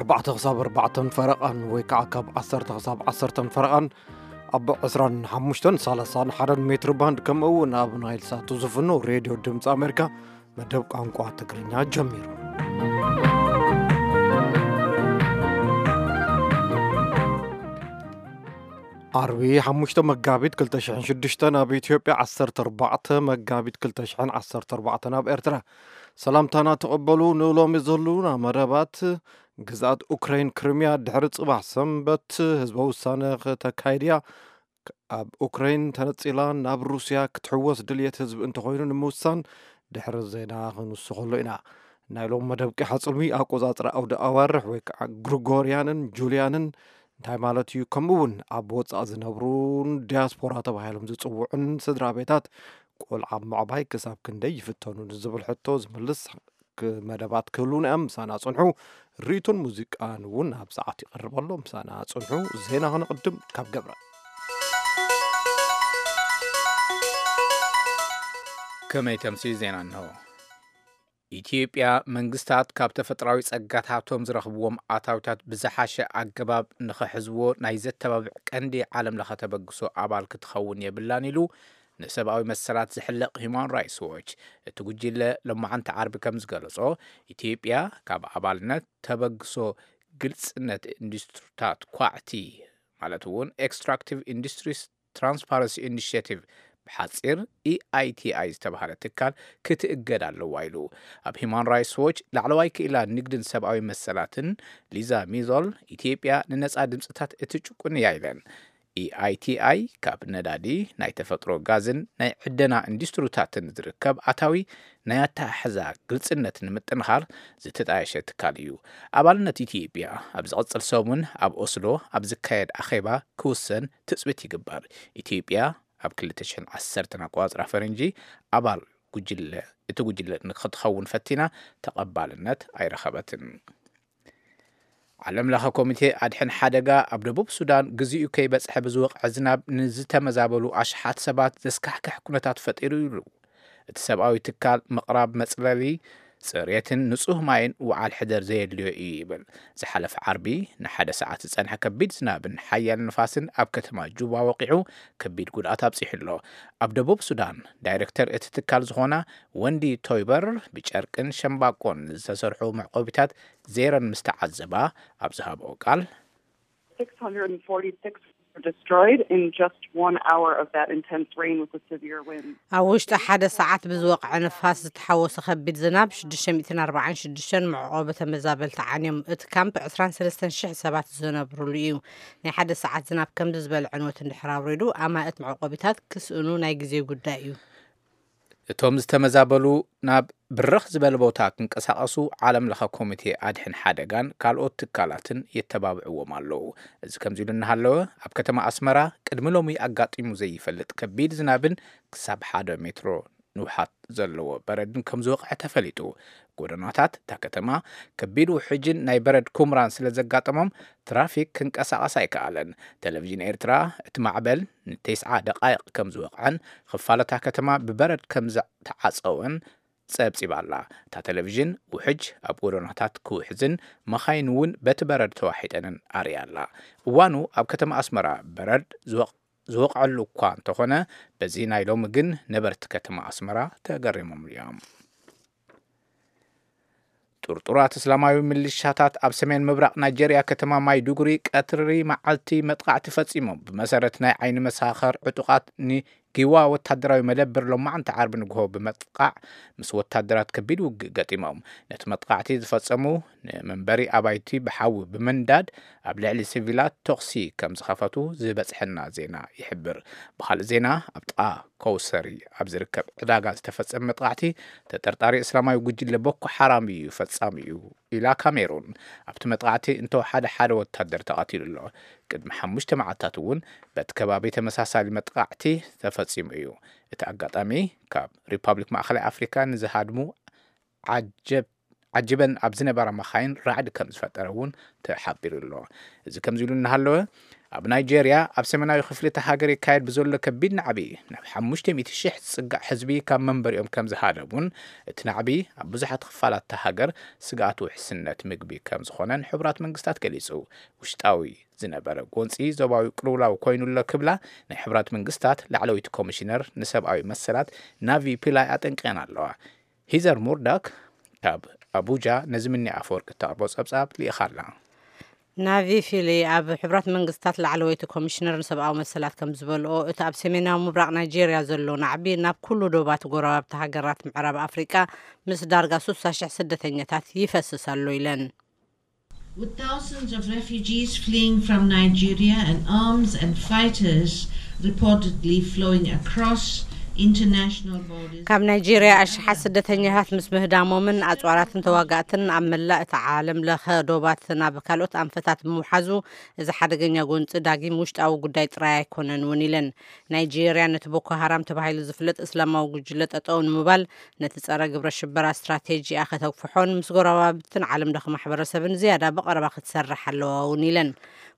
ኣርባዕተ ክሳብ ኣርባዕተን ፈረቓን ወይ ከዓ ካብ ዓሰርተ ክሳብ ዓሰርተን ፈረቓን ኣብ ዕስራን ሓሙሽተን ሰላሳን ሓደን ሜትር ባንድ፣ ከምኡ እውን ኣብ ናይል ሳት ዝፍኖ ሬድዮ ድምፂ ኣሜሪካ መደብ ቋንቋ ትግርኛ ጀሚሩ። ዓርቢ ሓሙሽተ መጋቢት ክልተ ሽሕን ሽዱሽተን ኣብ ኢትዮጵያ፣ ዓሰርተ ኣርባዕተ መጋቢት ክልተ ሽሕን ዓሰርተ ኣርባዕተን ኣብ ኤርትራ። ሰላምታና ተቐበሉ። ንሎሚ ዘሉና መደባት፣ ግዝኣት ኡክራይን ክሪምያ ድሕሪ ጽባሕ ሰንበት ህዝበ ውሳነ ከተካይድ እያ። ኣብ ኡክራይን ተነጺላ ናብ ሩስያ ክትሕወስ ድልየት ህዝቢ እንተኾይኑ ንምውሳን ድሕሪ ዜና ክንውስኸሉ ኢና። ናይ ሎም መደብ ቂሓ ጽልሚ ኣቆጻጽራ ኣውደ ኣዋርሕ ወይ ከዓ ግሪጎርያንን ጁልያንን እንታይ ማለት እዩ? ከምኡ እውን ኣብ ወጻኢ ዝነብሩን ዲያስፖራ ተባሂሎም ዝጽውዑን ስድራ ቤታት ቆልዓ ምዕባይ ክሳብ ክንደይ ይፍተኑ ንዝብል ሕቶ ዝምልስ ክ-፣ መደባት ክህሉና እዮም። ምሳና ጽንሑ። ርኢቶን ሙዚቃን እውን ኣብ ሰዓት ይቐርብ ኣሎ። ምሳና ጽንሑ። ዜና ክንቕድም ካብ ገብረ። ከመይ ተምሲ ዜና እንሆ። ኢትዮጵያ፣ መንግስታት ካብ ተፈጥራዊ ጸጋታቶም ዝረኽብዎም ኣታዊታት ብዝሓሸ ኣገባብ ንኸሕዝዎ ናይ ዘተባብዕ ቀንዲ ዓለም ለኸ ተበግሶ ኣባል ክትኸውን የብላን ኢሉ ንሰብኣዊ መሰላት ዝሕለቕ ሂማን ራይትስ ዎች። እቲ ጉጅለ ሎማዓንቲ ዓርቢ ከም ዝገለጾ፣ ኢትዮጵያ ካብ ኣባልነት ተበግሶ ግልጽነት ኢንዱስትሪታት ኳዕቲ፣ ማለት እውን ኤክስትራክቲቭ ኢንዱስትሪስ ትራንስፓረንሲ ኢኒሽቲቭ፣ ብሓጺር ኢኣይቲኣይ ዝተባህለ ትካል ክትእገድ ኣለዋ ኢሉ። ኣብ ሂማን ራይትስ ዎች ላዕለዋይ ክኢላ ንግድን ሰብኣዊ መሰላትን ሊዛ ሚዞል፣ ኢትዮጵያ ንነጻ ድምጽታት እትጭቁን እያ ኢለን። ኢኣይቲኣይ ካብ ነዳዲ፣ ናይ ተፈጥሮ ጋዝን ናይ ዕደና ኢንዱስትሪታትን ዝርከብ ኣታዊ ናይ ኣተሓሕዛ ግልጽነት ንምጥንኻር ዝተጣየሸ ትካል እዩ። ኣባልነት ኢትዮጵያ ኣብ ዝቕጽል ሰሙን ኣብ ኦስሎ ኣብ ዝካየድ ኣኼባ ክውሰን ትጽቢት ይግበር። ኢትዮጵያ ኣብ ክልተ ሽሕን ዓሰርተን ኣቆጻጽራ ፈረንጂ ኣባል ጉጅለ፣ እቲ ጉጅለ ንክትኸውን ፈቲና ተቐባልነት ኣይረኸበትን። ዓለም ለኸ ኮሚቴ ኣድሕን ሓደጋ ኣብ ደቡብ ሱዳን ግዚኡ ከይበጽሐ ብዝወቕዐ ዝናብ ንዝተመዛበሉ ኣሽሓት ሰባት ዘስካሕክሕ ኩነታት ፈጢሩ ኢሉ። እቲ ሰብኣዊ ትካል ምቕራብ መጽለሊ፣ ጽሬትን ንጹህ ማይን ውዓል ሕደር ዘየድልዮ እዩ ይብል። ዝሓለፈ ዓርቢ ንሓደ ሰዓት ዝጸንሐ ከቢድ ዝናብን ሓያል ንፋስን ኣብ ከተማ ጁባ ወቂዑ ከቢድ ጉድኣት ኣብጺሑ ኣሎ። ኣብ ደቡብ ሱዳን ዳይሬክተር እቲ ትካል ዝኾና ወንዲ ቶይበር ብጨርቅን ሸምባቆን ዝተሰርሑ መዕቆቢታት ዜረን ምስ ተዓዘባ ኣብ ዝሃብኦ ቃል፣ six hundred forty-six were destroyed in just one hour of that intense rain with the severe wind. ኣብ ውሽጢ ሓደ ሰዓት ብዝወቕዐ ንፋስ ዝተሓወሰ ከቢድ ዝናብ ሽዱሽተ ሚእትን ኣርባዓን ሽዱሽተን መዕቆቢ ተመዛበልቲ ዓንዮም። እቲ ካምፕ ዕስራን ሰለስተን ሽሕ ሰባት ዝነብሩሉ እዩ። ናይ ሓደ ሰዓት ዝናብ ከምዚ ዝበለ ዕንወት እንድሕር ኣውሪዱ፣ ኣማእት መዕቆቢታት ክስእኑ ናይ ግዜ ጉዳይ እዩ። እቶም ዝተመዛበሉ ናብ ብርኽ ዝበለ ቦታ ክንቀሳቐሱ ዓለም ለኸ ኮሚቴ ኣድሕን ሓደጋን ካልኦት ትካላትን የተባብዕዎም ኣለዉ። እዚ ከምዚ ኢሉ እናሃለወ፣ ኣብ ከተማ ኣስመራ ቅድሚ ሎሚ ኣጋጢሙ ዘይፈልጥ ከቢድ ዝናብን ክሳብ ሓደ ሜትሮ ንውሓት ዘለዎ በረድን ከም ዝወቕዐ ተፈሊጡ። ጎደናታት እታ ከተማ ከቢድ ውሕጅን ናይ በረድ ኩምራን ስለ ዘጋጠሞም ትራፊክ ክንቀሳቐስ ኣይከኣለን። ቴሌቪዥን ኤርትራ እቲ ማዕበል ንተስዓ ደቓይቕ ከም ዝወቕዐን ክፋል እታ ከተማ ብበረድ ከም ዝተዓጸወን ጸብጺባ ኣላ። እታ ቴሌቪዥን ውሕጅ ኣብ ጎደናታት ክውሕዝን መኻይን እውን በቲ በረድ ተዋሒጠንን ኣርእያ ኣላ። እዋኑ ኣብ ከተማ ኣስመራ በረድ ዝወቕ-፣ ዝወቕዐሉ እኳ እንተኾነ፣ በዚ ናይ ሎሚ ግን ነበርቲ ከተማ ኣስመራ ተገሪሞም እዮም። ጥርጡራት እስላማዊ ሚሊሻታት ኣብ ሰሜን ምብራቕ ናይጄርያ ከተማ ማይዱጉሪ ቀትሪ መዓልቲ መጥቃዕቲ ፈጺሞም። ብመሰረት ናይ ዓይኒ መሳኸር ዕጡቓት ንጊዋ ወታደራዊ መደብር ሎማዕንቲ ዓርቢ ንግሆ ብምጥቃዕ ምስ ወታደራት ከቢድ ውግእ ገጢሞም። ነቲ መጥቃዕቲ ዝፈጸሙ ንመንበሪ ኣባይቲ ብሓዊ ብምንዳድ ኣብ ልዕሊ ሲቪላት ተኹሲ ከም ዝኸፈቱ ዝበጽሐና ዜና ይሕብር። ብኻልእ ዜና፣ ኣብ ጥቓ ኮውሰሪ ኣብ ዝርከብ ዕዳጋ ዝተፈጸመ መጥቃዕቲ ተጠርጣሪ እስላማዊ ጉጅለ ቦኮ ሓራም እዩ ፈጻሚ እዩ ኢላ ካሜሩን። ኣብቲ መጥቃዕቲ እንተወሓደ ሓደ ወታደር ተቐቲሉ ኣሎ። ቅድሚ ሓሙሽተ መዓልታት እውን በቲ ከባቢ ተመሳሳሊ መጥቃዕቲ ተፈጺሙ እዩ። እቲ ኣጋጣሚ ካብ ሪፓብሊክ ማእኸላይ ኣፍሪካ ንዝሃድሙ ዓጀብ-፣ ዓጂበን ኣብ ዝነበራ መኻይን ራዕዲ ከም ዝፈጠረ እውን ተሓቢሩ ኣሎ። እዚ ከምዚ ኢሉ እናሃለወ፣ ኣብ ናይጄርያ ኣብ ሰሜናዊ ክፍሊ እታ ሃገር ይካየድ ብዘሎ ከቢድ ናዕቢ ናብ ሓሙሽተ ሚእቲ ሽሕ ዝጽጋዕ ህዝቢ ካብ መንበሪኦም ከም ዝሃደሙን እቲ ናዕቢ ኣብ ብዙሓት ክፋላት እታ ሃገር ስግኣት ውሕስነት ምግቢ ከም ዝኾነን ሕቡራት መንግስታት ገሊጹ። ውሽጣዊ ዝነበረ ጎንፂ ዞባዊ ቅልውላው ኮይኑሎ ክብላ ናይ ሕቡራት መንግስታት ላዕለወይቲ ኮሚሽነር ንሰብኣዊ መሰላት ናቪ ፒላይ ኣጠንቂቐን ኣለዋ። ሂዘር ሙርዳክ ካብ ኣቡጃ ነዚ ምኒ ኣፈወርቂ እተቕርቦ ጸብጻብ ልኢኻ ኣላ። ናቪ ፊሊ ኣብ ሕቡራት መንግስታት ላዕለወይቲ ኮሚሽነር ንሰብኣዊ መሰላት ከም ዝበልኦ፣ እቲ ኣብ ሰሜናዊ ምብራቕ ናይጄርያ ዘሎ ናዕቢ ናብ ኩሉ ዶባት ጎረባብቲ ሃገራት ምዕራብ ኣፍሪቃ ምስ ዳርጋ ስሳ ሽሕ ስደተኛታት ይፈስስ ኣሎ ኢለን። With thousands of refugees fleeing from Nigeria and arms and fighters reportedly flowing across international borders, ካብ ናይጄርያ ኣሽሓት ስደተኛታት ምስ ምህዳሞምን ኣጽዋራትን ተዋጋእትን ኣብ መላእ እቲ ዓለም ለኸ ዶባት ናብ ካልኦት ኣንፈታት ብምውሓዙ፣ እዚ ሓደገኛ ጎንፂ ዳጊም ውሽጣዊ ጉዳይ ጥራይ ኣይኮነን እውን ኢለን። ናይጄርያ ነቲ ቦኮ ሃራም ተባሂሉ ዝፍለጥ እስላማዊ ጉጅለ ጠጠው ንምባል ነቲ ጸረ ግብረ ሽበራ ስትራቴጂኣ ከተግፍሖን ምስ ጎረባብትን ዓለም ለኸ ማሕበረሰብን ዝያዳ ብቐረባ ክትሰርሕ ኣለዋ እውን ኢለን።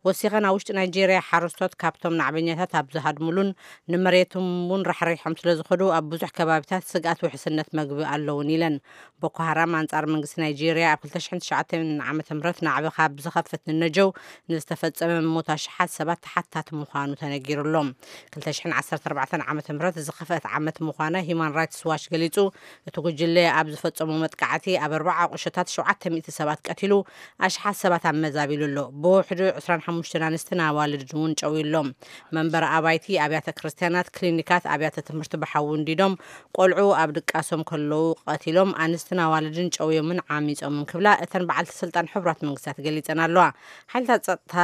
ወሲኸን ኣብ ውሽጢ ናይጄርያ ሓረስቶት ካብቶም ናዕበኛታት ኣብ ዝሃድሙሉን ንመሬቶም እውን ራሕሪሖም ስለ ዝኸዱ ኣብ ብዙሕ ከባቢታት ስግኣት ውሕስነት መግቢ ኣለውን ኢለን። ቦኮ ሃራም ኣንጻር መንግስቲ ናይጄርያ ኣብ ክልተ ሽሕን ትሽዓተን ዓመተ ምህረት ናዕቢ ካብ ዝኸፍት ንነጀው ንዝተፈጸመ ሞት ኣሽሓት ሰባት ተሓታቲ ምዃኑ ተነጊሩሎም። ክልተ ሽሕን ዓሰርተ ኣርባዕተን ዓመተ ምህረት ዝኸፍአት ዓመት ምዃና ሂማን ራይትስ ዋች ገሊጹ። እቲ ጉጅለ ኣብ ዝፈጸሞ መጥቃዕቲ ኣብ ኣርባዓ ቁሸታት ሸውዓተ ሚእቲ ሰባት ቀቲሉ፣ ኣሽሓት ሰባት ኣመዛቢሉ ኣሎ። ብውሕዱ ዕስራን ሓሙሽተን ኣንስትን ኣዋልድን እውን ጨውዩ ኣሎ። መንበሪ ኣባይቲ፣ ኣብያተ ክርስትያናት፣ ክሊኒካት፣ ኣብያተ ትምህርቲ ብሓዊ እንዲዶም፣ ቆልዑ ኣብ ድቃሶም ከለዉ ቀቲሎም፣ ኣንስትን ኣዋልድን ጨውዮምን ዓሚጾምን ክብላ እተን በዓልቲ ስልጣን ሕቡራት መንግስታት ገሊጸን ኣለዋ። ሓይልታት ጸጥታ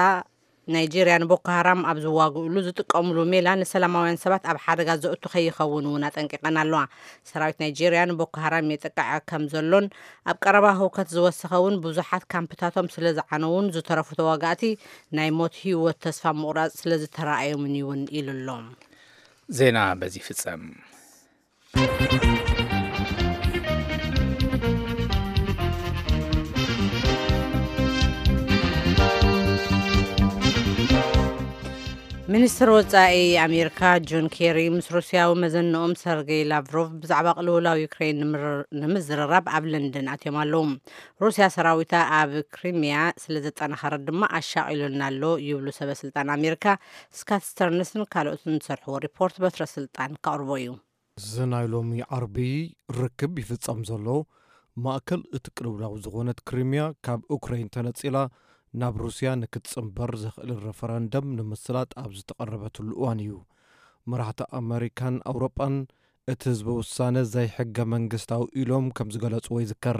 ናይጄርያ ንቦኮ ሃራም ኣብ ዝዋግእሉ ዝጥቀምሉ ሜላ ንሰላማውያን ሰባት ኣብ ሓደጋ ዘእቱ ከይኸውን እውን ኣጠንቂቐን ኣለዋ። ሰራዊት ናይጄርያ ንቦኮ ሃራም የጥቅዕ ከም ዘሎን ኣብ ቀረባ ህውከት ዝወሰኸ እውን ብዙሓት ካምፕታቶም ስለ ዝዓነውን ዝተረፉ ተዋጋእቲ ናይ ሞት ህይወት ተስፋ ምቑራጽ ስለ ዝተረኣዮምን እውን ኢሉ ኣሎ። ዜና በዚ ይፍጸም። ሚኒስትር ወጻኢ ኣሜሪካ ጆን ኬሪ ምስ ሩስያዊ መዘንኦም ሰርጌይ ላቭሮቭ ብዛዕባ ቅልውላው ዩክሬን ንምር- ንምዝርራብ ኣብ ለንደን ኣትዮም ኣለዉ። ሩስያ ሰራዊታ ኣብ ክሪሚያ ስለ ዘጠናኸረት ድማ ኣሻቒሉና ኣሎ ይብሉ ሰበ ስልጣን ኣሜሪካ። ስካት ስተርንስን ካልኦትን ዝሰርሕዎ ሪፖርት በትረ ስልጣን ከቕርቦ እዩ። እዚ ናይ ሎሚ ዓርቢ ርክብ ይፍጸም ዘሎ፣ ማእከል እቲ ቅልውላው ዝኾነት ክሪምያ ካብ ኡክረይን ተነጺላ ናብ ሩስያ ንክትጽንበር ዘኽእል ረፈረንደም ንምስላጥ ኣብ ዝተቐረበትሉ እዋን እዩ። መራሕቲ ኣመሪካን ኣውሮጳን እቲ ህዝበ ውሳነ ዘይሕገ መንግስታዊ ኢሎም ከም ዝገለጽዎ ይዝከር።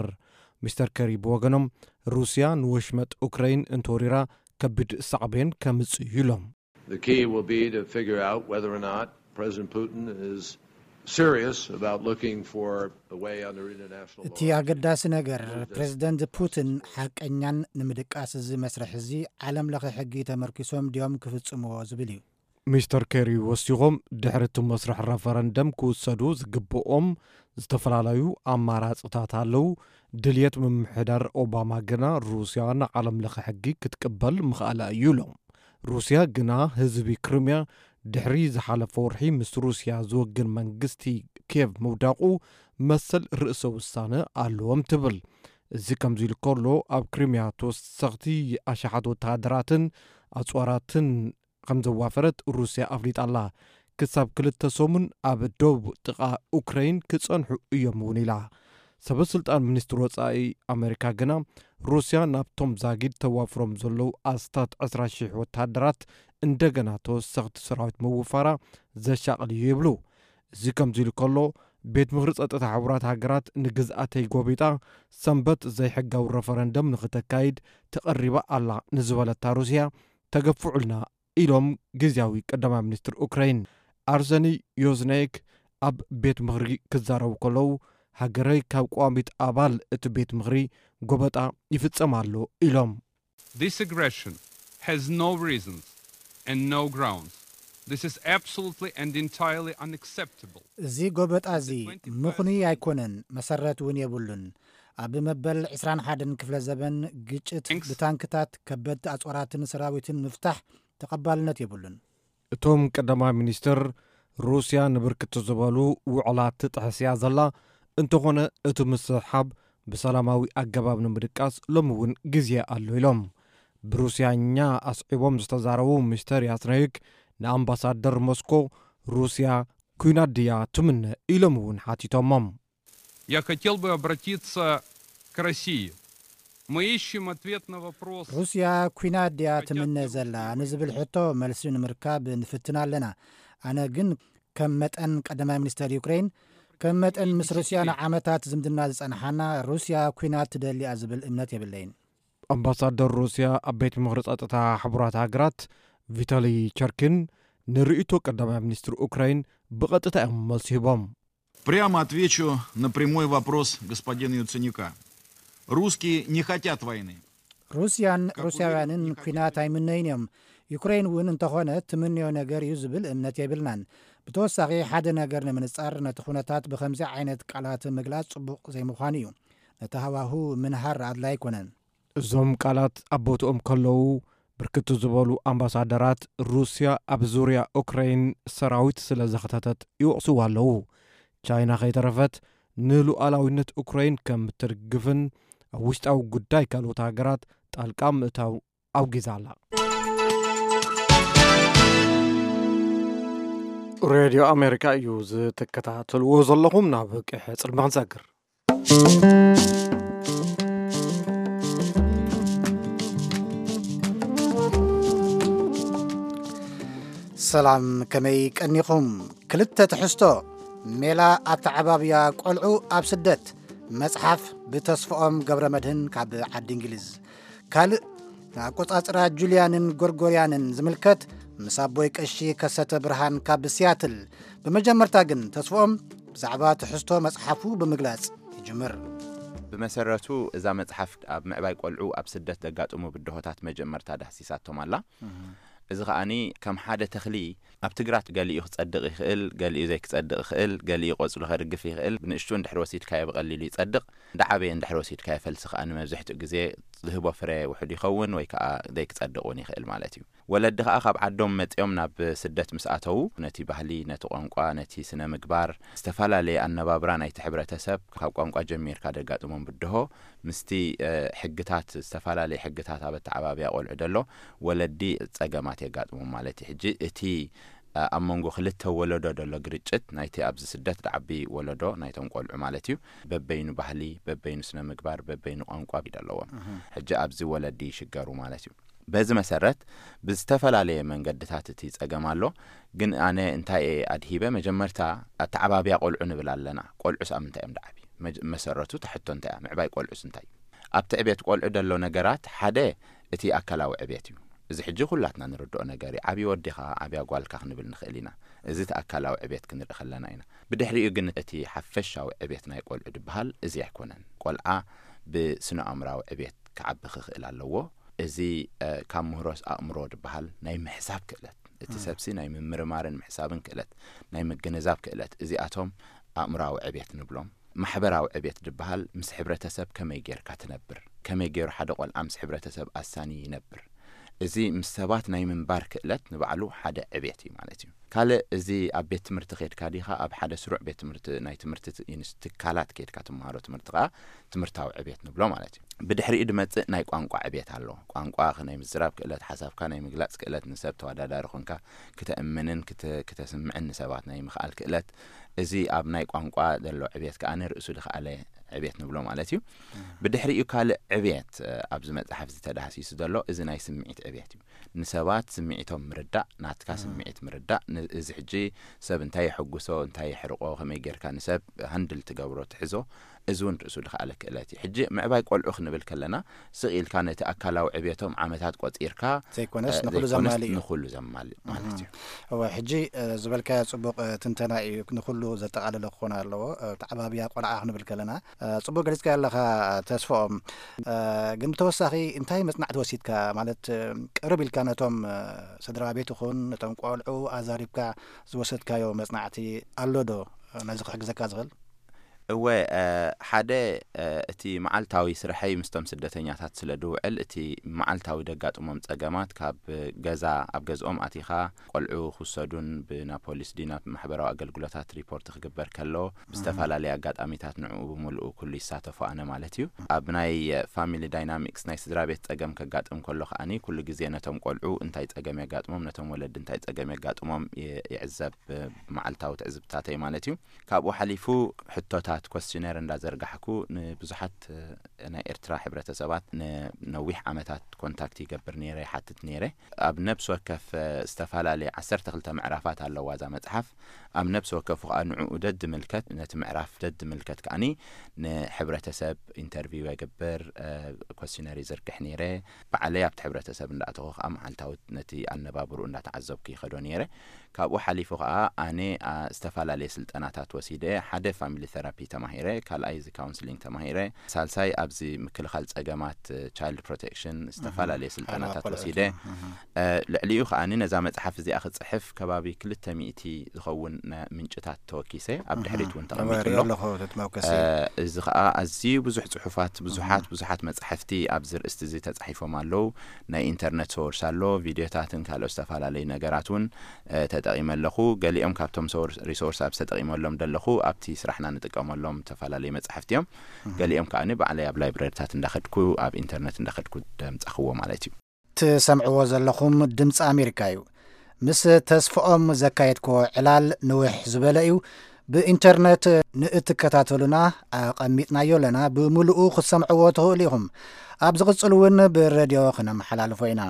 ሚስተር ከሪ ብወገኖም፣ ሩስያ ንወሽመጥ ኡክረይን እንተወሪራ ከቢድ ሳዕቤን ከምጽእ እዩ ኢሎም። The key will be to figure out whether or not President Putin is serious about looking for a way under international law. እቲ ኣገዳሲ ነገር ፕሬዝደንት ፑቲን ሓቀኛን ንምድቃስ እዚ መስርሕ እዚ ዓለም ለኸ ሕጊ ተመርኪሶም ድዮም ክፍጽምዎ ዝብል እዩ። ሚስተር ኬሪ ወሲኾም፣ ድሕሪ እቲ መስርሕ ረፈረንደም ክውሰዱ ዝግብኦም ዝተፈላለዩ ኣማራፅታት ኣለዉ። ድልየት ምምሕዳር ኦባማ ግና ሩስያ ንዓለም ለኸ ሕጊ ክትቅበል ምኽኣላ እዩ ኢሎም። ሩስያ ግና ህዝቢ ክሪምያ ድሕሪ ዝሓለፈ ወርሒ ምስ ሩስያ ዝወግን መንግስቲ ኬቭ ምውዳቑ መሰል ርእሰ ውሳነ ኣለዎም ትብል። እዚ ከምዚ ኢሉ ከሎ፣ ኣብ ክሪምያ ተወሰኽቲ ኣሽሓት ወተሃደራትን ኣፅዋራትን ከም ዘዋፈረት ሩስያ ኣፍሊጣ ኣላ። ክሳብ ክልተ ሰሙን ኣብ ደቡብ ጥቓ ኡክረይን ክጸንሑ እዮም እውን ኢላ። ሰበ ስልጣን ሚኒስትሪ ወጻኢ ኣሜሪካ ግና፣ ሩስያ ናብቶም ዛጊድ ተዋፍሮም ዘለዉ ኣስታት ዕስራ ሽሕ ወተሃደራት እንደገና ተወሰኽቲ ሰራዊት ምውፋራ ዘሻቕል እዩ ይብሉ። እዚ ከምዚ ኢሉ ከሎ፣ ቤት ምኽሪ ጸጥታ ሕቡራት ሃገራት ንግዝኣተይ ጎቢጣ ሰንበት ዘይሕጋዊ ረፈረንደም ንኽተካይድ ተቐሪባ ኣላ ንዝበለታ ሩስያ፣ ተገፍዑልና ኢሎም ግዝያዊ ቀዳማይ ሚኒስትር ኡክራይን ኣርሰኒ ዮዝናይክ ኣብ ቤት ምኽሪ ክዛረቡ ከለዉ፣ ሃገረይ ካብ ቀዋሚት ኣባል እቲ ቤት ምኽሪ ጎበጣ ይፍጸም ኣሎ ኢሎም። This aggression has no reasons and no grounds. This is absolutely and entirely unacceptable. እዚ ጎበጣ እዚ ምኽኑይ ኣይኮነን፣ መሰረት እውን የብሉን። ኣብ መበል ዕስራን ሓደን ክፍለ ዘበን ግጭት ብታንክታት፣ ከበድቲ ኣጽዋራትን ሰራዊትን ምፍታሕ ተቐባልነት የብሉን። እቶም ቀዳማይ ሚኒስትር፣ ሩስያ ንብርክት ዝበሉ ውዕላት ትጥሕስ እያ ዘላ፣ እንተኾነ እቲ ምስሕሓብ ብሰላማዊ ኣገባብ ንምድቃስ ሎሚ እውን ግዜ ኣሎ ኢሎም። ብሩስያኛ ኣስዒቦም ዝተዛረቡ ሚስተር ያስነይክ ንኣምባሳደር ሞስኮ፣ ሩስያ ኲናት ድያ ትምነ ኢሎም እውን ሓቲቶሞም። Я хотел бы обратиться к России. Мы ищем ответ на вопрос. ሩስያ ኲናት ድያ ትምነ ዘላ ንዝብል ሕቶ መልሲ ንምርካብ ንፍትን ኣለና። ኣነ ግን ከም መጠን ቀዳማይ ሚኒስተር ዩክሬን፣ ከም መጠን ምስ ሩስያ ንዓመታት ዝምድና ዝጸንሓና፣ ሩስያ ኲናት ትደሊ እያ ዝብል እምነት የብለይን። ኣምባሳደር ሩስያ ኣብ ቤት ምኽሪ ጸጥታ ሕቡራት ሃገራት ቪታሊ ቸርኪን ንርእይቶ ቀዳማይ ሚኒስትር ኡክራይን ብቐጥታ እዮም መልሲ ሂቦም። Прямо отвечу на прямой вопрос господина Яценюка. Русские не хотят войны. ሩስያን ሩስያውያንን ኲናት ኣይምነይን እዮም። ዩክሬን እውን እንተኾነ ትምንዮ ነገር እዩ ዝብል እምነት የብልናን። ብተወሳኺ ሓደ ነገር ንምንጻር፣ ነቲ ኩነታት ብኸምዚ ዓይነት ቃላት ምግላጽ ጽቡቕ ዘይምዃኑ እዩ። ነቲ ሃዋሁ ምንሃር ኣድላይ ኣይኮነን። እዞም ቃላት ኣብ ቦትኦም ከለዉ፣ ብርክት ዝበሉ ኣምባሳደራት ሩስያ ኣብ ዙርያ ኡክራይን ሰራዊት ስለ ዘኸተተት ይወቕስዋ ኣለዉ። ቻይና ከይተረፈት ንሉዓላዊነት ኡክራይን ከም እትድግፍን ኣብ ውሽጣዊ ጉዳይ ካልኦት ሃገራት ጣልቃ ምእታው ኣውጊዛ ኣላ። ሬድዮ ኣሜሪካ እዩ ዝትከታተልዎ ዘለኹም። ናብ ቀይሕ ጽልሚ ክንሰግር። ሰላም፣ ከመይ ቀኒኹም? ክልተ ትሕዝቶ፣ ሜላ ኣተዓባብያ ቆልዑ ኣብ ስደት፣ መጽሓፍ ብተስፍኦም ገብረ መድህን ካብ ዓዲ እንግሊዝ። ካልእ፣ ንኣቆጻጽራ ጁልያንን ጎርጎርያንን ዝምልከት ምስ ኣቦይ ቀሺ ከሰተ ብርሃን ካብ ሲያትል። ብመጀመርታ ግን ተስፍኦም ብዛዕባ ትሕዝቶ መጽሓፉ ብምግላጽ ይጅምር። ብመሰረቱ እዛ መጽሓፍ ኣብ ምዕባይ ቆልዑ ኣብ ስደት ዘጋጥሙ ብድሆታት መጀመርታ ዳህሲሳቶም ኣላ። እዚ ከኣኒ ከም ሓደ ተኽሊ ኣብ ትግራት ገሊኡ ክጸድቕ ይኽእል፣ ገሊኡ ዘይክጸድቕ ይኽእል፣ ገሊኡ ቆጽሉ ከርግፍ ይኽእል። ብንእሽቱ እንድሕር ወሲድካዮ ብቐሊሉ ይጸድቕ፣ እንዳዓበየ እንድሕር ወሲድካዮ ፈልሲ ከኣ ንመብዝሕትኡ ግዜ ዝህቦ ፍረ ውሑድ ይኸውን ወይ ከኣ ዘይክጸድቕ እውን ይኽእል ማለት እዩ። ወለዲ ከኣ ካብ ዓዶም መጺኦም ናብ ስደት ምስ ኣተዉ ነቲ ባህሊ፣ ነቲ ቋንቋ፣ ነቲ ስነ ምግባር፣ ዝተፈላለየ ኣነባብራ ናይቲ ሕብረተሰብ ካብ ቋንቋ ጀሚርካ ደጋጥሞም ብድሆ ምስቲ ሕግታት፣ ዝተፈላለየ ሕግታት ኣብ ኣተዓባብያ ቆልዑ ደሎ ወለዲ ጸገማት የጋጥሞም ማለት እዩ። ሕጂ እቲ ኣብ መንጎ ክልተ ወለዶ ደሎ ግርጭት ናይቲ ኣብዚ ስደት ድዓቢ ወለዶ ናይቶም ቆልዑ ማለት እዩ በበይኑ ባህሊ፣ በበይኑ ስነ ምግባር፣ በበይኑ ቋንቋ ኣለዎም። ሕጂ ኣብዚ ወለዲ ይሽገሩ ማለት እዩ። በዚ መሰረት ብዝተፈላለየ መንገድታት እቲ ጸገም ኣሎ። ግን ኣነ እንታይ እየ ኣድሂበ? መጀመርታ ኣተዓባብያ ቆልዑ ንብል ኣለና። ቆልዑስ ኣብ ምንታይ እዮም ድዓቢ? መሰረቱ ተሕቶ እንታይ እያ? ምዕባይ ቆልዑስ እንታይ እዩ? ኣብቲ ዕቤት ቆልዑ ደሎ ነገራት ሓደ እቲ ኣካላዊ ዕቤት እዩ። እዚ ሕጂ ኩላትና ንርድኦ ነገር እዩ። ዓብዪ ወዲኻ ዓብያ ጓልካ ክንብል ንኽእል ኢና። እዚ እቲ ኣካላዊ ዕቤት ክንርኢ ከለና ኢና። ብድሕሪኡ ግን እቲ ሓፈሻዊ ዕቤት ናይ ቆልዑ ድበሃል እዚ ኣይኮነን። ቆልዓ ብስነ ኣእምራዊ ዕቤት ክዓቢ ክኽእል ኣለዎ። እዚ ካብ ምህሮስ ኣእምሮ ድበሃል ናይ ምሕሳብ ክእለት፣ እቲ ሰብሲ ናይ ምምርማርን ምሕሳብን ክእለት፣ ናይ ምግንዛብ ክእለት፣ እዚኣቶም ኣእምራዊ ዕቤት ንብሎም። ማሕበራዊ ዕቤት ድበሃል ምስ ሕብረተሰብ ከመይ ጌርካ ትነብር፣ ከመይ ገይሩ ሓደ ቆልዓ ምስ ሕብረተሰብ ኣሳኒ ይነብር። እዚ ምስ ሰባት ናይ ምንባር ክእለት ንባዕሉ ሓደ ዕቤት እዩ ማለት እዩ። ካልእ እዚ ኣብ ቤት ትምህርቲ ኬድካ ዲኻ ኣብ ሓደ ስሩዕ ቤት ትምህርቲ ናይ ትምህርቲ ትካላት ኬድካ ትመሃሮ ትምህርቲ ከኣ ትምህርታዊ ዕቤት ንብሎ ማለት እዩ። ብድሕሪኡ ድመጽእ ናይ ቋንቋ ዕቤት ኣሎ። ቋንቋ ናይ ምዝራብ ክእለት፣ ሓሳብካ ናይ ምግላጽ ክእለት፣ ንሰብ ተወዳዳሪ ኮንካ ክተእምንን ክተ- ክተስምዕን ንሰባት ናይ ምኽኣል ክእለት፣ እዚ ኣብ ናይ ቋንቋ ዘሎ ዕቤት ከኣ ርእሱ ድኸኣለ ዕቤት ንብሎ ማለት እዩ። ብድሕሪኡ ካልእ ዕቤት ኣብዚ መጽሓፍ ዝተዳህሲሱ ዘሎ እዚ ናይ ስምዒት ዕቤት እዩ። ንሰባት ስምዒቶም ምርዳእ፣ ናትካ ስምዒት ምርዳእ፣ እዚ ሕጂ ሰብ እንታይ የሐጉሶ፣ እንታይ የሕርቆ፣ ከመይ ጌርካ ንሰብ ሃንድል ትገብሮ ትሕዞ፣ እዚ እውን ርእሱ ድኸኣለ ክእለት እዩ። ሕጂ ምዕባይ ቆልዑ ክንብል ከለና ስቕ ኢልካ ነቲ ኣካላዊ ዕቤቶም ዓመታት ቆጺርካ ዘይኮነስ ንኹሉ ዘማልእ እዩ። ንኹሉ ዘማልእ ማለት እዩ። እወ፣ ሕጂ ዝበልካዮ ጽቡቕ ትንተና እዩ። ንኹሉ ዘጠቓለለ ክኾን ኣለዎ። ተዓባብያ ቆልዓ ክንብል ከለና ጽቡቕ ገሊጽካ ኣለኻ ተስፍኦም። ግን ብተወሳኺ እንታይ መጽናዕቲ ወሲድካ? ማለት ቅርብ ኢልካ ነቶም ስድራ ቤት ይኹን ነቶም ቆልዑ ኣዛሪብካ ዝወሰድካዮ መጽናዕቲ ኣሎ ዶ ነዚ ክሕግዘካ ዝኽእል? እወ፣ ሓደ እቲ መዓልታዊ ስርሐይ ምስቶም ስደተኛታት ስለ ድውዕል፣ እቲ መዓልታዊ ደጋጥሞም ጸገማት፣ ካብ ገዛ፣ ኣብ ገዝኦም ኣቲኻ ቆልዑ ክውሰዱን ብና ፖሊስ ድዩ ናብ ማሕበራዊ ኣገልግሎታት ሪፖርት ክግበር ከሎ፣ ብዝተፈላለየ ኣጋጣሚታት ንዕኡ ብምልኡ ኩሉ ይሳተፎ ኣነ ማለት እዩ። ኣብ ናይ ፋሚሊ ዳይናሚክስ፣ ናይ ስድራ ቤት ጸገም ከጋጥም ከሎ ከኣኒ ኩሉ ግዜ ነቶም ቆልዑ እንታይ ጸገም የጋጥሞም፣ ነቶም ወለዲ እንታይ ጸገም የጋጥሞም ይዕዘብ፣ መዓልታዊ ትዕዝብታተይ ማለት እዩ። ካብኡ ሓሊፉ ሕቶታት ኮስችነር እንዳዘርጋሕኩ ንብዙሓት ናይ ኤርትራ ሕብረተሰባት ንነዊሕ ዓመታት ኮንታክት ይገብር ነይረ፣ ይሓትት ነይረ። ኣብ ነብሲ ወከፍ ዝተፈላለየ ዓሰርተ ክልተ ምዕራፋት ኣለዋ እዛ መጽሓፍ። ኣብ ነብሲ ወከፉ ከዓ ንዕኡ ደድምልከት፣ ነቲ ምዕራፍ ደድምልከት ከዓኒ ንሕብረተሰብ ኢንተርቪው የገብር፣ ኮስችነር ይዝርግሕ ነይረ። ባዕለይ ኣብቲ ሕብረተሰብ እንዳእተኹ ከዓ መዓልታዊ ነቲ ኣነባብርኡ እንዳተዓዘብኩ ይኸዶ ነይረ። ካብኡ ሓሊፉ ከዓ ኣነ ዝተፈላለየ ስልጠናታት ወሲደ። ሓደ ፋሚሊ ቴራፒ ተማሂረ፣ ካልኣይ እዚ ካውንስሊንግ ተማሂረ፣ ሳልሳይ ኣብዚ ምክልኻል ጸገማት ቻይልድ ፕሮቴክሽን ዝተፈላለየ ስልጠናታት ወሲደ። ልዕሊኡ ከዓኒ ነዛ መጽሓፍ እዚኣ ክጽሕፍ ከባቢ ክልተ ሚእቲ ዝኸውን ምንጭታት ተወኪሰ ኣብ ድሕሪት እውን ተቐሚጡ ኣሎ። እዚ ከዓ ኣዝዩ ብዙሕ ጽሑፋት፣ ብዙሓት ብዙሓት መጻሕፍቲ ኣብዚ ርእስቲ እዚ ተጻሒፎም ኣለዉ። ናይ ኢንተርነት ሶርስ ኣሎ፣ ቪድዮታትን ካልኦት ዝተፈላለዩ ነገራት እውን ተጠቒመ ኣለኹ። ገሊኦም ካብቶም ሪሶርስ ኣብ ተጠቒመሎም ዘለኹ ኣብቲ ስራሕና ንጥቀመሎም ዝተፈላለዩ መጻሕፍቲ እዮም። ገሊኦም ከዓ ባዕለይ ኣብ ላይብረሪታት እንዳኸድኩ፣ ኣብ ኢንተርነት እንዳኸድኩ ደምጻኽዎ ማለት እዩ። ትሰምዕዎ ዘለኹም ድምፂ ኣሜሪካ እዩ። ምስ ተስፍኦም ዘካየድክዎ ዕላል ንውሕ ዝበለ እዩ። ብኢንተርነት ንእትከታተሉና ኣቐሚጥናዮ ኣለና። ብምሉኡ ክትሰምዕዎ ትኽእሉ ኢኹም። ኣብ ዝቕጽል እውን ብረድዮ ክነመሓላልፎ ኢና።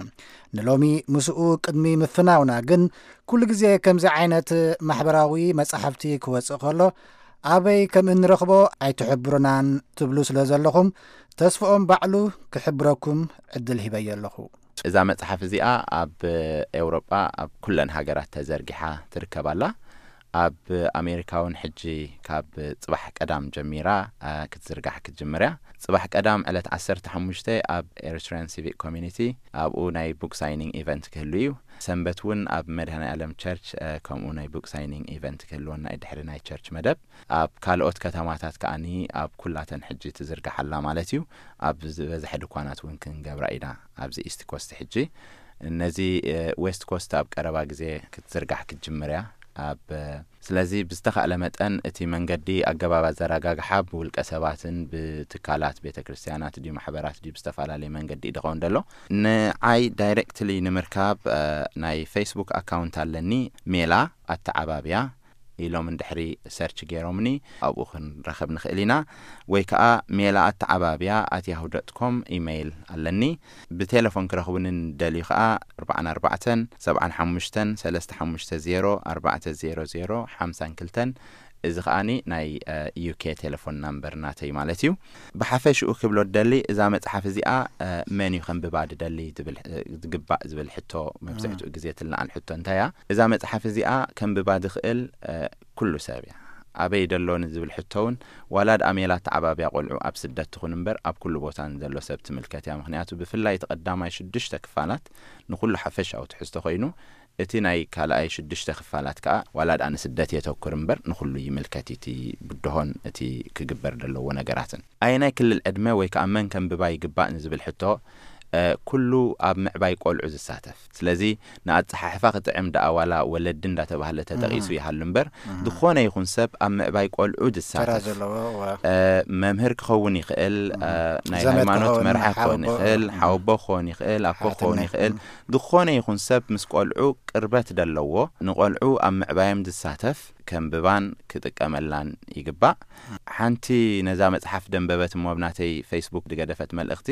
ንሎሚ ምስኡ ቅድሚ ምፍናውና ግን፣ ኩሉ ግዜ ከምዚ ዓይነት ማሕበራዊ መጻሕፍቲ ክወጽእ ከሎ ኣበይ ከም እንረኽቦ ኣይትሕብሩናን ትብሉ ስለ ዘለኹም፣ ተስፍኦም ባዕሉ ክሕብረኩም ዕድል ሂበዮ ኣለኹ። እዛ መጽሓፍ እዚኣ ኣብ ኤውሮጳ ኣብ ኩለን ሃገራት ተዘርጊሓ ትርከብ ኣላ። ኣብ ኣሜሪካ እውን ሕጂ ካብ ጽባሕ ቀዳም ጀሚራ ክትዝርጋሕ ክትጅምር እያ። ጽባሕ ቀዳም ዕለት ዓሰርተ ሓሙሽተ ኣብ ኤሪትሪያን ሲቪክ ኮሚኒቲ ኣብኡ ናይ ቡክ ሳይኒንግ ኢቨንት ክህሉ እዩ። ሰንበት እውን ኣብ መድሃኔ ኣለም ቸርች ከምኡ ናይ ቡክ ሳይኒንግ ኢቨንት ክህልወና እዩ ድሕሪ ናይ ቸርች መደብ። ኣብ ካልኦት ከተማታት ከኣኒ ኣብ ኩላተን ሕጂ ትዝርጋሕ ኣላ ማለት እዩ። ኣብ ዝበዝሐ ድኳናት እውን ክንገብራ ኢና ኣብዚ ኢስት ኮስት ሕጂ። ነዚ ዌስት ኮስት ኣብ ቀረባ ግዜ ክትዝርጋሕ ክትጅምር እያ። ኣብ ስለዚ ብዝተኻእለ መጠን እቲ መንገዲ ኣገባብ ኣዘራጋግሓ ብውልቀ ሰባትን ብትካላት ቤተ ክርስቲያናት ድዩ ማሕበራት ድዩ ብዝተፈላለየ መንገዲ እዩ ዝኸውን ዘሎ። ንዓይ ዳይሬክትሊ ንምርካብ ናይ ፌስቡክ ኣካውንት ኣለኒ፣ ሜላ ኣተዓባብያ ኢሎም እንድሕሪ ሰርች ገይሮምኒ ኣብኡ ክንረኸብ ንኽእል ኢና። ወይ ከዓ ሜላ ኣተዓባብያ ኣት ያሁ ዶት ኮም ኢሜይል ኣለኒ። ብቴሌፎን ክረኽቡኒ እንደልዩ ከዓ ኣርባዓን ኣርባዕተን ሰብዓን ሓሙሽተን ሰለስተ ሓሙሽተ ዜሮ ኣርባዕተ ዜሮ ዜሮ ሓምሳን ክልተን። እዚ ከዓኒ ናይ ዩኬ ቴሌፎን ናምበር ናተይ ማለት እዩ። ብሓፈሽኡ ክብሎ ደሊ እዛ መጽሓፍ እዚኣ መን እዩ ከንብባ ድደሊ ዝብል ዝግባእ ዝብል ሕቶ መብዝሕትኡ ግዜ ትልዓል ሕቶ እንታይ እያ? እዛ መጽሓፍ እዚኣ ከንብባ ዝኽእል ኩሉ ሰብ እያ። ኣበይ ደሎ ንዝብል ሕቶ እውን ዋላ ድኣ ሜላ ተዓባብያ ቆልዑ ኣብ ስደት ትኹን እምበር ኣብ ኩሉ ቦታ ንዘሎ ሰብ ትምልከት እያ። ምኽንያቱ ብፍላይ እቲ ቀዳማይ ሽዱሽተ ክፋላት ንኹሉ ሓፈሻዊ ትሕዝቶ ኮይኑ እቲ ናይ ካልኣይ ሽዱሽተ ክፋላት ከኣ ዋላ ድኣ ንስደት የተኩር እምበር ንኹሉ ይምልከት እዩ እቲ ብድሆን እቲ ክግበር ዘለዎ ነገራትን። ኣየናይ ክልል ዕድመ ወይ ከኣ መን ከንብባ ይግባእ ንዝብል ሕቶ ኩሉ ኣብ ምዕባይ ቆልዑ ዝሳተፍ። ስለዚ ንኣጸሓሕፋ ክጥዕም ደኣ ዋላ ወለዲ እንዳተባህለ ተጠቒሱ ይሃሉ እምበር ዝኾነ ይኹን ሰብ ኣብ ምዕባይ ቆልዑ ዝሳተፍ መምህር ክኸውን ይኽእል፣ ናይ ሃይማኖት መርሓ ክኸውን ይኽእል፣ ሓወቦ ክኸውን ይኽእል፣ ኣቦ ክኸውን ይኽእል። ዝኾነ ይኹን ሰብ ምስ ቆልዑ ቅርበት ደለዎ ንቆልዑ ኣብ ምዕባዮም ዝሳተፍ ከንብባን ክጥቀመላን ይግባእ። ሓንቲ ነዛ መጽሓፍ ደንበበት እሞ ኣብ ናተይ ፌስቡክ ዝገደፈት መልእኽቲ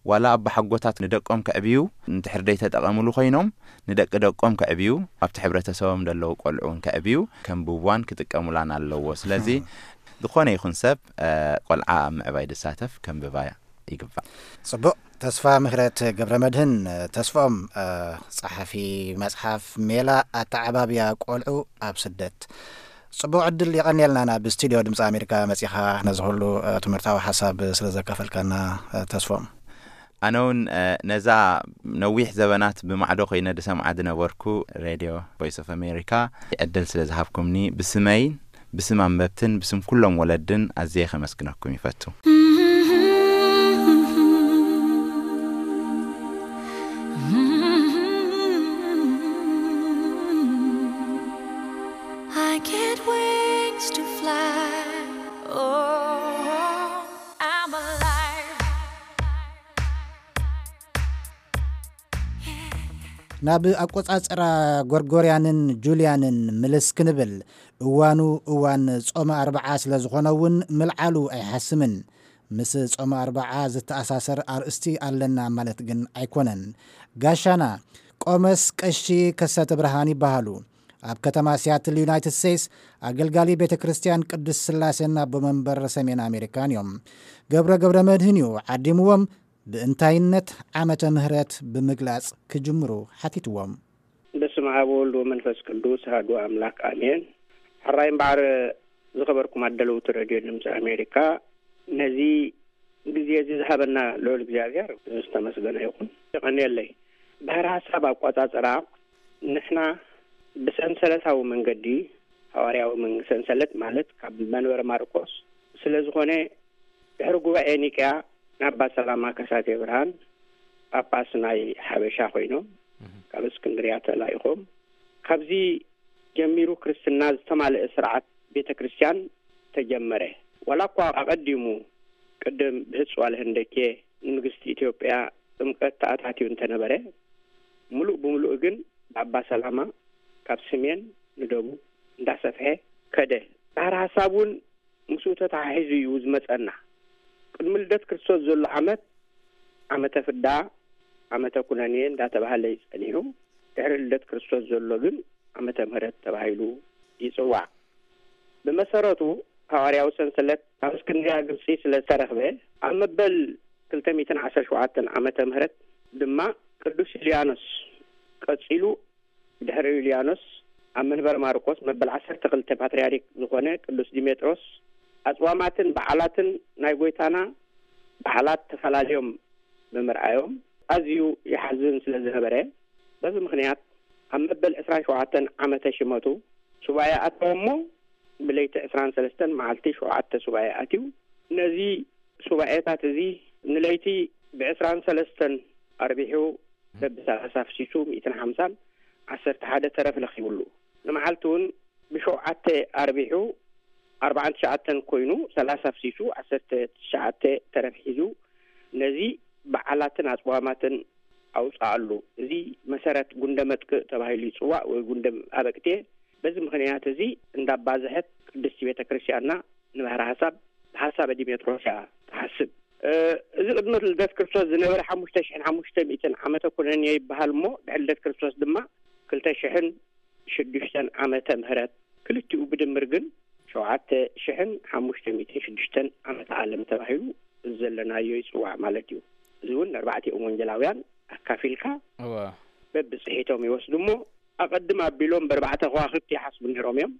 ዋላ ኣባሓጎታት ንደቆም ከዕብዩ እንድሕር ደይተጠቐምሉ ኮይኖም ንደቂ ደቆም ከዕብዩ ኣብቲ ሕብረተሰቦም ዘለዉ ቆልዑ እውን ከዕብዩ ከንብብዋን ክጥቀሙላን ኣለዎ። ስለዚ ዝኾነ ይኹን ሰብ ቆልዓ ኣብ ምዕባይ ዝሳተፍ ከንብባ ይግባእ። ጽቡቕ። ተስፋ ምህረት ገብረ መድህን ተስፎም፣ ጸሓፊ መጽሓፍ ሜላ ኣተዓባብያ ቆልዑ ኣብ ስደት። ጽቡቕ ዕድል የቐንየልና ናብ ስቱድዮ ድምፂ ኣሜሪካ መጺኻ ነዚ ኩሉ ትምህርታዊ ሓሳብ ስለ ዘካፈልካና ተስፎም። ኣነ እውን ነዛ ነዊሕ ዘበናት ብማዕዶ ኮይነ ዝሰምዓ ዝነበርኩ ሬድዮ ቮይስ ኦፍ ኣሜሪካ ዕድል ስለ ዝሃብኩምኒ ብስመይን ብስም ኣንበብትን ብስም ኩሎም ወለድን ኣዝየ ከመስግነኩም ይፈቱ። I get wings to fly. Oh, I'm alive. ናብ ኣቆጻጽራ ጎርጎርያንን ጁልያንን ምልስ ክንብል፣ እዋኑ እዋን ጾመ ኣርብዓ ስለ ዝኾነ እውን ምልዓሉ ኣይሓስምን። ምስ ጾመ ኣርብዓ ዝተኣሳሰር ኣርእስቲ ኣለና ማለት ግን ኣይኮነን። ጋሻና ቆመስ ቀሺ ከሰተ ብርሃን ይበሃሉ። ኣብ ከተማ ሲያትል ዩናይትድ ስቴትስ ኣገልጋሊ ቤተ ክርስቲያን ቅዱስ ስላሴን ኣቦ መንበር ሰሜን ኣሜሪካን እዮም። ገብረ ገብረ መድህን እዩ ዓዲምዎም። ብእንታይነት ዓመተ ምህረት ብምግላጽ ክጅምሩ ሓቲትዎም። በስመ ኣብ ወወልድ ወመንፈስ ቅዱስ ኣሐዱ ኣምላክ ኣሜን። ሕራይ እምበኣር ዝኸበርኩም ኣደለውቲ ረድዮ ድምፂ ኣሜሪካ፣ ነዚ ግዜ እዚ ዝሃበና ልዑል እግዚኣብሔር ዝተመስገነ ይኹን። የቐንየለይ። ባህሪ ሓሳብ ኣቋጻጽራ ንሕና ብሰንሰለታዊ መንገዲ፣ ሃዋርያዊ ሰንሰለት ማለት ካብ መንበረ ማርቆስ ስለ ዝኾነ፣ ድሕሪ ጉባኤ ኒቅያ ንኣባ ሰላማ ከሳቴ ብርሃን ጳጳስ ናይ ሓበሻ ኮይኖም ካብ እስክንድርያ ተላኢኾም፣ ካብዚ ጀሚሩ ክርስትና ዝተማልአ ስርዓት ቤተ ክርስቲያን ተጀመረ። ዋላ እኳ ኣቐዲሙ ቅድም ብህጽዋል ህንደኬ ንንግስቲ ኢትዮጵያ ጥምቀት ተኣታትዩ እንተነበረ፣ ምሉእ ብምሉእ ግን ብኣባ ሰላማ ካብ ስሜን ንደቡብ እንዳሰፍሐ ከደ። ባህሪ ሓሳብ እውን ምስኡ ተተሓሒዙ እዩ ዝመጸና። ቅድሚ ልደት ክርስቶስ ዘሎ ዓመት ዓመተ ፍዳ፣ ዓመተ ኩነኔ እንዳተባህለ እዩ ጸኒሑ። ድሕሪ ልደት ክርስቶስ ዘሎ ግን ዓመተ ምህረት ተባሂሉ ይጽዋዕ። ብመሰረቱ ሃዋርያዊ ሰንሰለት ኣብ እስክንድርያ ግብጺ ስለ ዝተረኽበ፣ ኣብ መበል ክልተ ሚእትን ዓሰርተ ሸውዓተን ዓመተ ምህረት ድማ ቅዱስ ዩልያኖስ ቀጺሉ፣ ድሕሪ ዩልያኖስ ኣብ መንበር ማርቆስ መበል ዓሰርተ ክልተ ፓትርያርክ ዝኾነ ቅዱስ ዲሜጥሮስ ኣጽዋማትን በዓላትን ናይ ጎይታና በዓላት ተፈላለዮም ብምርኣዮም ኣዝዩ ይሓዝን ስለ ዝነበረ፣ በዚ ምኽንያት ኣብ መበል ዕስራን ሸውዓተን ዓመተ ሽመቱ ሱባኤ ኣተወ እሞ፣ ብለይቲ ዕስራን ሰለስተን መዓልቲ ሸውዓተ ሱባኤ ኣትዩ። ነዚ ሱባኤታት እዚ ንለይቲ ብዕስራን ሰለስተን ኣርቢሑ በብሰላሳ ፍሲሱ ሚእትን ሓምሳን ዓሰርተ ሓደ ተረፍ ለኺብሉ። ንመዓልቲ እውን ብሸውዓተ ኣርቢሑ ኣርባዓን ትሽዓተን ኮይኑ ሰላሳ ፍሲሱ ዓሰርተ ትሽዓተ ተረፍ ሒዙ ነዚ በዓላትን ኣጽዋማትን ኣውጽኣሉ። እዚ መሰረት ጉንደ መጥቅእ ተባሂሉ ይጽዋዕ ወይ ጉንደ ኣበቅቴ። በዚ ምኽንያት እዚ እንዳባዝሐት ቅድስቲ ቤተ ክርስቲያንና ንባህሪ ሓሳብ ብሓሳበ ዲሜጥሮስ እያ ትሓስብ። እዚ ቅድሚ ልደት ክርስቶስ ዝነበረ ሓሙሽተ ሽሕን ሓሙሽተ ሚእትን ዓመተ ኩነኔ ይበሃል እሞ ድሕሪ ልደት ክርስቶስ ድማ ክልተ ሽሕን ሽዱሽተን ዓመተ ምህረት። ክልቲኡ ብድምር ግን ሸውዓተ ሽሕን ሓሙሽተ ሚእትን ሽዱሽተን ዓመተ ዓለም ተባሂሉ ዘለናዮ ይጽዋዕ ማለት እዩ። እዚ እውን ንኣርባዕቲኦም ወንጌላውያን ኣካፊልካ በብጽሒቶም ይወስዱ እሞ ኣቐድም ኣቢሎም ብኣርባዕተ ከዋኽብቲ ይሓስቡ ነይሮም እዮም።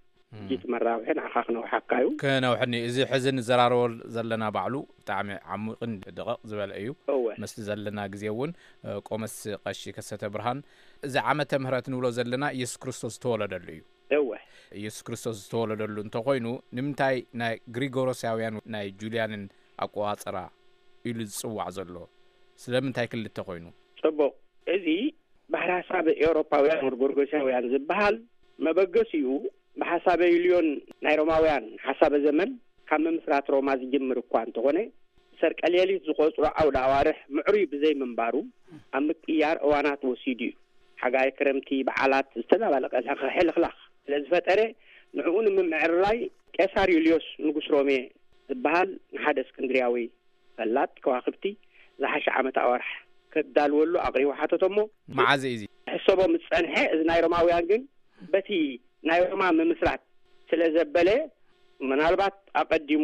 ጊት መራብሒ ንዓኻ ክነውሓካ እዩ። ክነውሕኒ። እዚ ሕዚ ንዘራረቦ ዘለና ባዕሉ ብጣዕሚ ዓሚቕን ደቐቕ ዝበለ እዩ። እወ። ምስቲ ዘለና ግዜ እውን፣ እ፣ ቆመስ ቀሺ ከሰተ ብርሃን፣ እዚ ዓመተ ምህረት ንብሎ ዘለና ኢየሱስ ክርስቶስ ዝተወለደሉ እዩ። እወ። ኢየሱስ ክርስቶስ ዝተወለደሉ እንተኾይኑ፣ ንምንታይ ናይ ግሪጎሮሳውያን ናይ ጁልያንን ኣቆጻጽራ ኢሉ ዝጽዋዕ ዘሎ? ስለምንታይ ክልተ ኮይኑ? ጽቡቕ። እዚ ባህሪ ሓሳብ ኤውሮፓውያን ወር ጎርጎሳውያን ዝበሃል መበገሲኡ ብሓሳበ ዩልዮን ናይ ሮማውያን ሓሳበ ዘመን ካብ ምምስራት ሮማ ዝጅምር እኳ እንተኾነ፣ ሰርቀ ሌሊት ዝቖጽሮ ዓውደ ኣዋርሕ ምዕሩይ ብዘይምንባሩ ኣብ ምቅያር እዋናት ወሲዱ እዩ። ሓጋይ፣ ክረምቲ፣ በዓላት ዝተደባለቐ ሕልኽላኽ ስለ ዝፈጠረ፣ ንዕኡ ንምምዕርራይ ቄሳር ዩልዮስ ንጉስ ሮሜ ዝበሃል ንሓደ እስክንድርያዊ ፈላጥ ከዋኽብቲ ዝሓሸ ዓመት ኣዋርሕ ከዳልወሉ ኣቕሪቡ ሓተቶ እሞ፣ መዓዝ እዩ እዚ? ሕሰቦ ምስ ጸንሐ፣ እዚ ናይ ሮማውያን ግን በቲ ናይ ሮማ ምምስራት ስለ ዘበለ፣ ምናልባት ኣቐዲሙ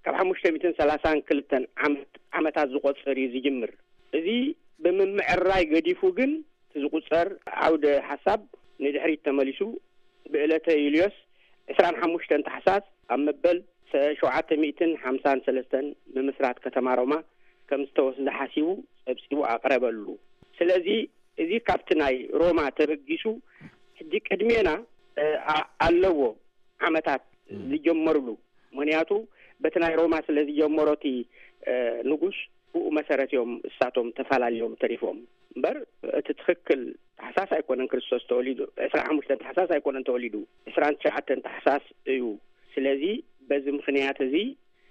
ካብ ሓሙሽተ ሚእትን ሰላሳን ክልተን ዓመት ዓመታት ዝቖጽር እዩ ዝጅምር። እዚ ብምምዕርራይ ገዲፉ ግን እቲ ዝቑጸር ዓውደ ሓሳብ ንድሕሪት ተመሊሱ ብዕለተ ዩልዮስ ዕስራን ሓሙሽተን ታሕሳስ ኣብ መበል ሸውዓተ ሚእትን ሓምሳን ሰለስተን ምምስራት ከተማ ሮማ ከም ዝተወስደ ሓሲቡ ጸብጺቡ ኣቕረበሉ። ስለዚ እዚ ካብቲ ናይ ሮማ ተበጊሱ ሕጂ ቅድሜና እ፣ ኣ-፣ ኣለዎ ዓመታት ዝጀመርሉ። ምክንያቱ በቲ ናይ ሮማ ስለ ዝጀመሮ እቲ ንጉስ፣ ብኡ መሰረት እዮም እሳቶም ተፈላለዮም ተሪፎም። እምበር እቲ ትኽክል ታሕሳስ ኣይኮነን ክርስቶስ ተወሊዱ። ዕስራን ሓሙሽተን ታሕሳስ ኣይኮነን ተወሊዱ፣ ዕስራን ትሽዓተን ታሕሳስ እዩ። ስለዚ በዚ ምክንያት እዚ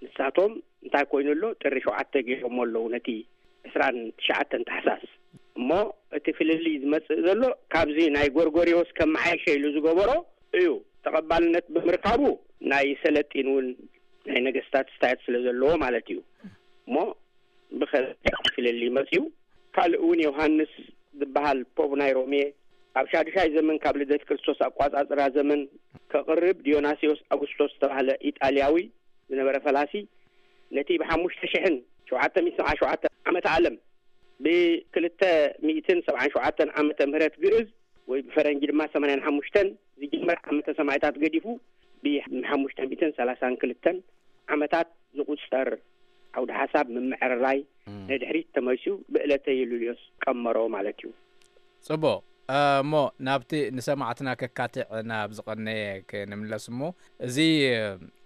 ንሳቶም እንታይ ኮይኑ ኣሎ፣ ጥሪ ሸውዓተ ገይሮሞ ኣለዉ ነቲ ዕስራን ትሽዓተን ታሕሳስ። እሞ እቲ ፍልልይ ዝመጽእ ዘሎ ካብዚ ናይ ጎርጎሪዎስ ከመዓይሸ ኢሉ ዝገበሮ እዩ። ተቐባልነት ብምርካቡ ናይ ሰለጢን እውን ናይ ነገስታት ስታይት ስለ ዘለዎ ማለት እዩ። እሞ ብኸ ፍልልይ መጽኡ። ካልእ እውን ዮሃንስ ዝበሃል ፖፕ ናይ ሮሜ ኣብ ሻዱሻይ ዘመን ካብ ልደት ክርስቶስ ኣቋጻጽራ ዘመን ከቕርብ፣ ዲዮናስዮስ ኣጉስቶስ ዝተባህለ ኢጣልያዊ ዝነበረ ፈላሲ ነቲ ብሓሙሽተ ሽሕን ሸውዓተ ሚእትን ሰብዓን ሸውዓተን ዓመተ ዓለም ብክልተ ሚእትን ሰብዓን ሸውዓተን ዓመተ ምህረት ግእዝ ወይ ብፈረንጂ ድማ ሰማንያን ሓሙሽተን ዝጅመር ዓመተ ሰማዕታት ገዲፉ፣ ብሓሙሽተ ሚእትን ሰላሳን ክልተን ዓመታት ዝቑጸር ዓውደ ሓሳብ ምምዕርራይ ንድሕሪት ተመልሱ ብዕለተ ዩሉልዮስ ቀመሮ ማለት እዩ። ጽቡቕ። እሞ ናብቲ ንሰማዕትና ከካትዕ ናብ ዝቐነየ ክንምለስ እሞ፣ እዚ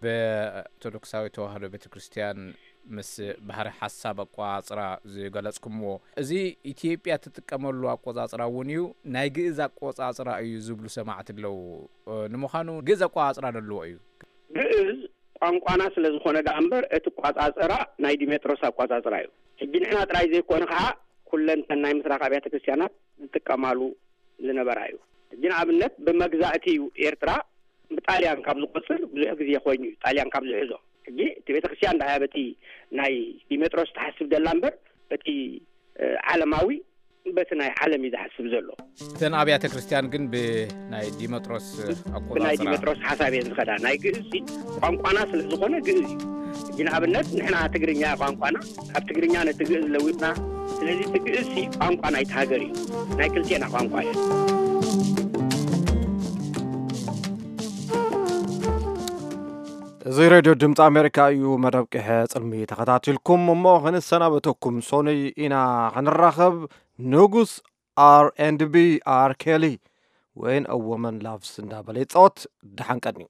ብኦርቶዶክሳዊ ተዋህዶ ቤተ ክርስቲያን ምስ ባህሪ ሓሳብ ኣቋጽራ ዝገለጽኩምዎ፣ እዚ ኢትዮጵያ ትጥቀመሉ ኣቆጻጽራ እውን እዩ፣ ናይ ግእዝ ኣቆጻጽራ እዩ ዝብሉ ሰማዕቲ ኣለዉ። ንምዃኑ ግእዝ ኣቆጻጽራ ደለዎ እዩ? ግእዝ ቋንቋና ስለ ዝኾነ ደኣ እምበር እቲ ኣቋጻጽራ ናይ ዲሜጥሮስ ኣቋጻጽራ እዩ። ሕጂ ንሕና ጥራይ ዘይኮነ ከዓ ኩለንተን ናይ ምስራቅ ኣብያተ ክርስቲያናት ዝጥቀማሉ ዝነበራ እዩ። ሕጂ ንኣብነት ብመግዛእቲ እዩ ኤርትራ ብጣልያን ካብ ዝቆጽር ብዙሕ ግዜ ኮይኑ እዩ፣ ጣልያን ካብ ዝሕዞ። ሕጂ እቲ ቤተክርስትያን ደኣ በቲ ናይ ዲሜጥሮስ ትሓስብ ደላ እምበር በቲ ዓለማዊ በቲ ናይ ዓለም እዩ ዝሓስብ ዘሎ። እተን ኣብያተ ክርስቲያን ግን ብናይ ዲመጥሮስ ኣቆጻጽራ ብናይ ዲመጥሮስ ሓሳብ እየን ዝኸዳ። ናይ ግእዝ ቋንቋና ስለ ዝኾነ ግእዝ እዩ። ሕጂ ንኣብነት ንሕና ትግርኛ ቋንቋና ካብ ትግርኛ ነቲ ግእዝ ለዊጥና፣ ስለዚ እቲ ግእዝ ቋንቋ ናይቲ ሃገር እዩ፣ ናይ ክልቴና ቋንቋ እዩ። እዚ ሬድዮ ድምፂ ኣሜሪካ እዩ። መደብ ቅሐ ፅልሚ ተኸታቲልኩም እሞ ክንሰናበተኩም። ሶኑይ ኢና ክንራኸብ። ንጉስ R and B R Kelly When a Woman Loves እንዳበለ ይፃወት። ደሓን ቀንዩ።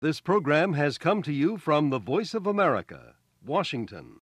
This program has come to you from the Voice of America, Washington.